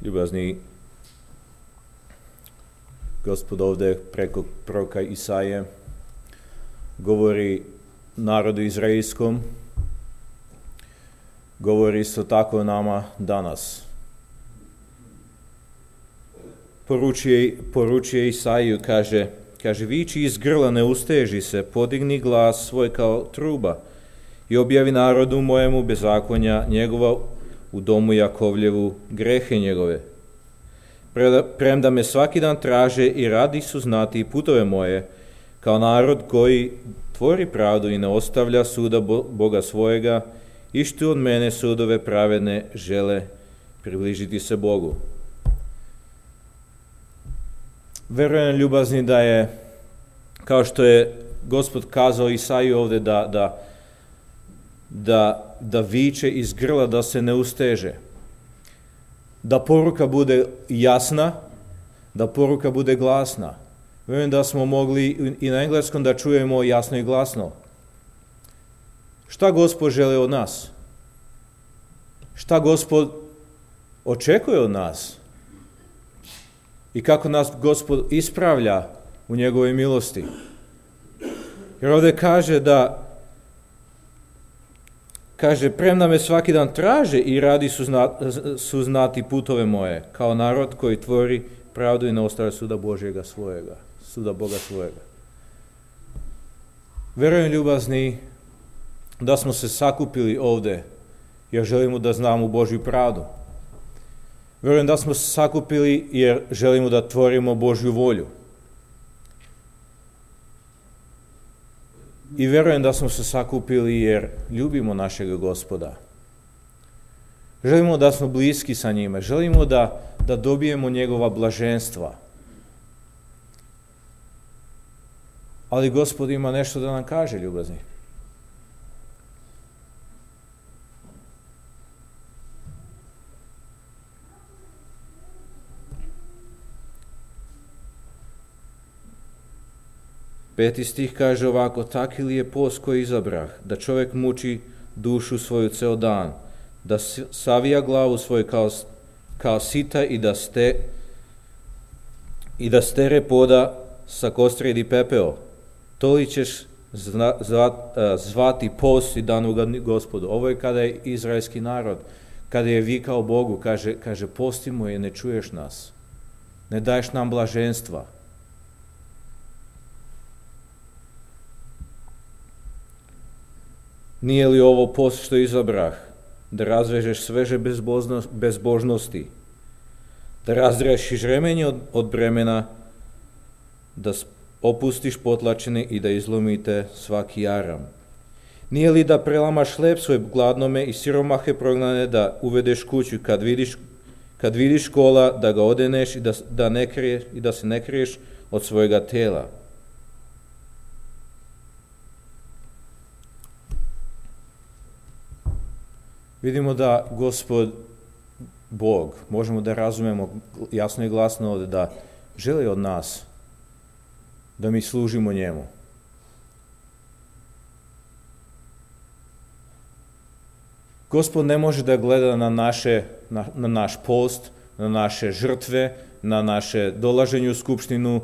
Ljubazni Gospod ovdje preko proroka Isaije govori narodu izraelskom, govori isto tako nama danas. Poručuje Isaiju, kaže viči iz grla, ne usteži se, podigni glas svoj kao truba i objavi narodu mojemu bezakonja njegova, u domu Jakovljevu grehe njegove. Premda me svaki dan traže i radi su znati putove moje, kao narod koji tvori pravdu i ne ostavlja suda Boga svojega, ištu od mene sudove pravedne žele približiti se Bogu. Verujem, ljubazni, da je, kao što je Gospod kazao Isaiju ovdje, da viče iz grla, da se ne usteže. Da poruka bude jasna, da poruka bude glasna. Verujem da smo mogli i na engleskom da čujemo jasno i glasno. Šta Gospod želi od nas? Šta Gospod očekuje od nas? I kako nas Gospod ispravlja u njegovoj milosti? Jer ovdje kaže, premda me svaki dan traže i radi su znati putove moje, kao narod koji tvori pravdu i ne ostavlja suda Božjega svojega, suda Boga svojega. Verujem, ljubazni, da smo se sakupili ovdje jer želimo da znamo Božju pravdu. Verujem da smo se sakupili jer želimo da tvorimo Božju volju. I verujem da smo se sakupili jer ljubimo našeg Gospoda. Želimo da smo bliski sa njime. Želimo da dobijemo njegova blaženstva. Ali Gospod ima nešto da nam kaže, ljubazni. Peti stih kaže ovako: taki li je post koji izabrah, da čovjek muči dušu svoju ceo dan, da savija glavu svoju kao sita i da stere poda sa kostrijedi pepeo. To li ćeš zvati post i dan ugadni Gospodu? Ovo je kada je izraelski narod, kada je vikao Bogu, kaže postimo je, ne čuješ nas, ne daješ nam blaženstva. Nije li ovo post što izabrah, da razvežeš sveže bezbožnosti, da razrešiš remenje od bremena, da opustiš potlačene i da izlomite svaki jaram? Nije li da prelamaš hleb svoj gladnome i siromahe prognane, da uvedeš kuću, kad vidiš kola, da ga odeneš i da se ne kriješ od svojega tela? Vidimo da Gospod Bog, možemo da razumemo jasno i glasno ovdje, da želi od nas da mi služimo njemu. Gospod ne može da gleda na naš post, na naše žrtve, na naše dolaženje u skupštinu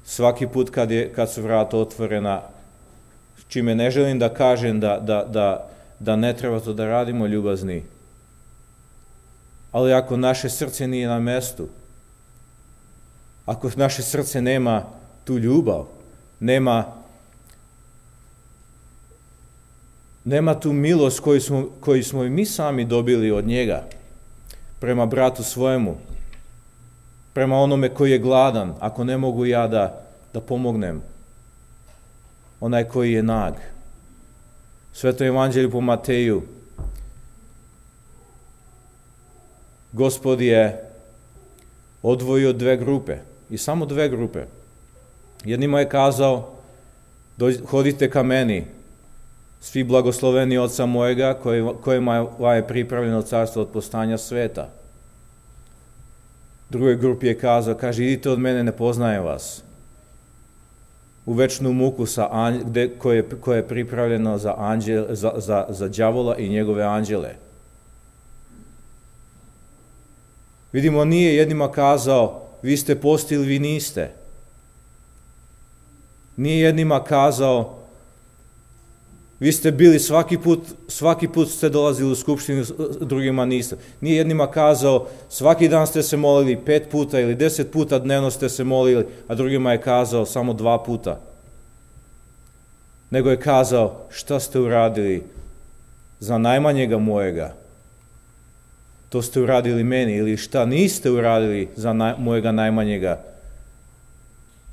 svaki put kad su vrata otvorena, čime ne želim da kažem da ne treba to da radimo, ljubazni. Ali ako naše srce nije na mestu, ako naše srce nema tu ljubav, nema tu milost koju smo i mi sami dobili od njega, prema bratu svojemu, prema onome koji je gladan, ako ne mogu ja da pomognem, onaj koji je nag. Sveto evanđelje po Mateju. Gospod je odvojio dve grupe, i samo dve grupe. Jednima je kazao: hodite ka meni, svi blagosloveni Oca mojega, kojima je pripravljeno carstvo od postanja sveta. Drugoj grupi je kazao, idite od mene, ne poznajem vas, u večnu muku koje je pripravljeno za đavola i njegove anđele. Vidimo, nije jednima kazao, vi ste postili, vi niste. Nije jednima kazao, vi ste bili svaki put ste dolazili u skupštinu, drugima niste. Nije jednima kazao, svaki dan ste se molili 5 puta ili 10 puta dnevno ste se molili, a drugima je kazao samo 2 puta. Nego je kazao, šta ste uradili za najmanjega mojega, to ste uradili meni, ili šta niste uradili za mojega najmanjega,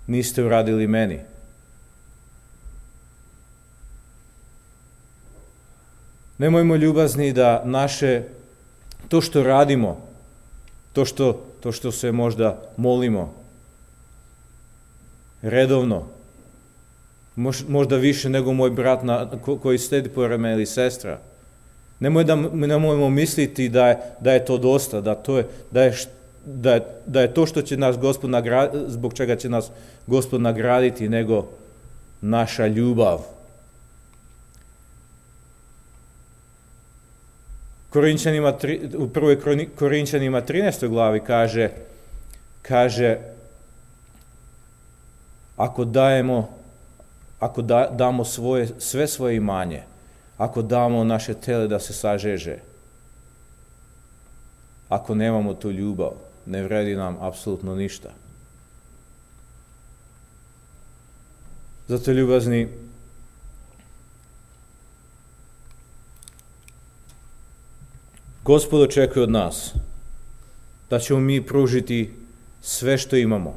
niste uradili meni. Nemojmo ljubazni da to što radimo, to što se možda molimo, redovno, možda više nego moj brat koji sedi pored mene ili sestra. Nemojmo misliti da je to dosta, da je to što će nas Gospod nagraditi, zbog čega će nas Gospod nagraditi, nego naša ljubav. U 1. Korinčanima 13. glavi kaže ako damo sve svoje imanje, ako damo naše tele da se sažeže, ako nemamo tu ljubav, ne vredi nam apsolutno ništa. Zato, ljubazni, Gospod očekuje od nas da ćemo mi pružiti sve što imamo.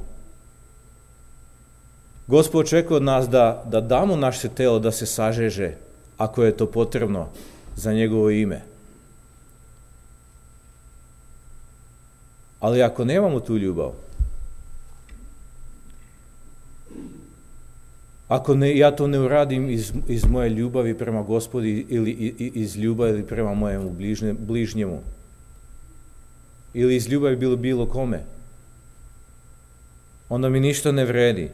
Gospod očekuje od nas da damo naše telo da se sažeže, ako je to potrebno za njegovo ime. Ali ako nemamo tu ljubav, ako ja to ne uradim iz moje ljubavi prema Gospodi ili iz ljubavi prema mojemu bližnjemu, ili iz ljubavi bilo kome, onda mi ništa ne vredi.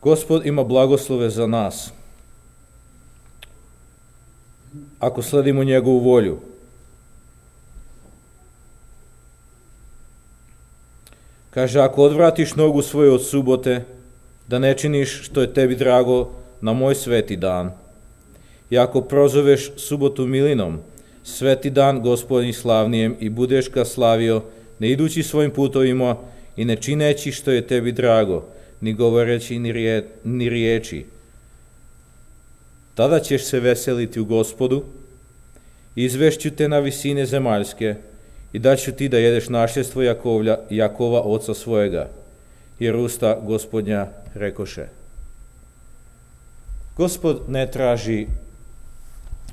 Gospod ima blagoslove za nas ako sledimo njegovu volju. Kaže, ako odvratiš nogu svoju od subote, da ne činiš što je tebi drago na moj sveti dan, i ako prozoveš subotu milinom, sveti dan Gospodnji slavnijem, i budeš ga slavio, ne idući svojim putovima i ne čineći što je tebi drago, ni govoreći ni riječi, tada ćeš se veseliti u Gospodu, izvešću te na visine zemaljske, i daću ti da jedeš našljedstvo Jakova, oca svojega, jer usta Gospodnja rekoše. Gospod ne traži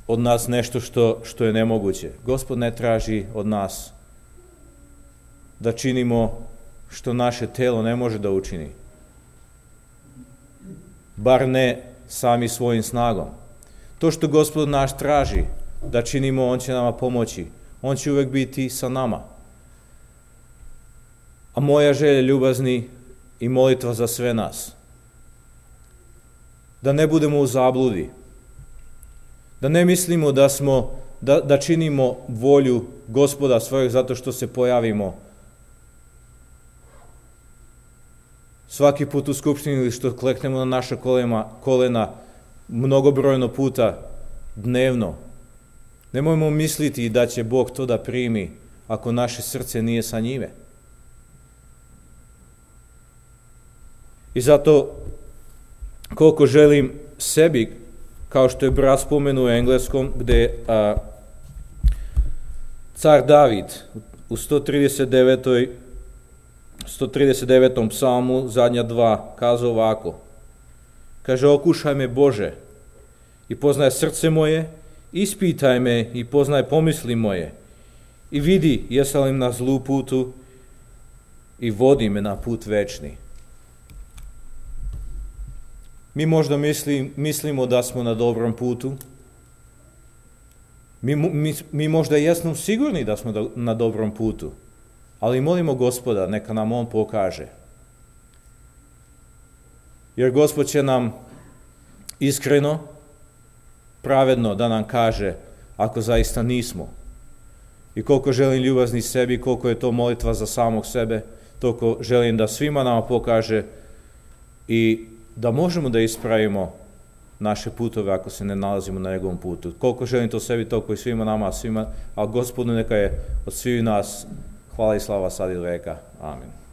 od nas nešto što je nemoguće. Gospod ne traži od nas da činimo što naše telo ne može da učini. Bar ne sami svojim snagom. To što Gospod naš traži da činimo, on će nama pomoći. On će uvek biti sa nama. A moja želja, ljubazni, i molitva za sve nas, da ne budemo u zabludi, da ne mislimo da činimo volju Gospoda svojeg zato što se pojavimo svaki put u skupštini ili što kleknemo na naša kolena mnogobrojno puta dnevno. Nemojmo misliti da će Bog to da primi ako naše srce nije sa njime. I zato, koliko želim sebi, kao što je brat spomenuo u engleskom, gde car David u 139. psalmu, zadnja 2, kazao ovako. Kaže, okušaj me Bože i poznaj srce moje, ispitaj me i poznaj pomisli moje i vidi jesam li na zlu putu i vodi me na put večni. Mi možda mislimo da smo na dobrom putu. Mi možda jesmo sigurni da smo na dobrom putu, ali molimo Gospoda, neka nam on pokaže. Jer Gospod će nam iskreno, pravedno da nam kaže ako zaista nismo. I koliko želim ljubazni sebi, koliko je to molitva za samog sebe, toliko želim da svima nama pokaže i da možemo da ispravimo naše putove ako se ne nalazimo na njegovom putu. Koliko želim to sebi, toliko i svima nama, a Gospodu neka je od svih nas hvala i slava sad i veka. Amen.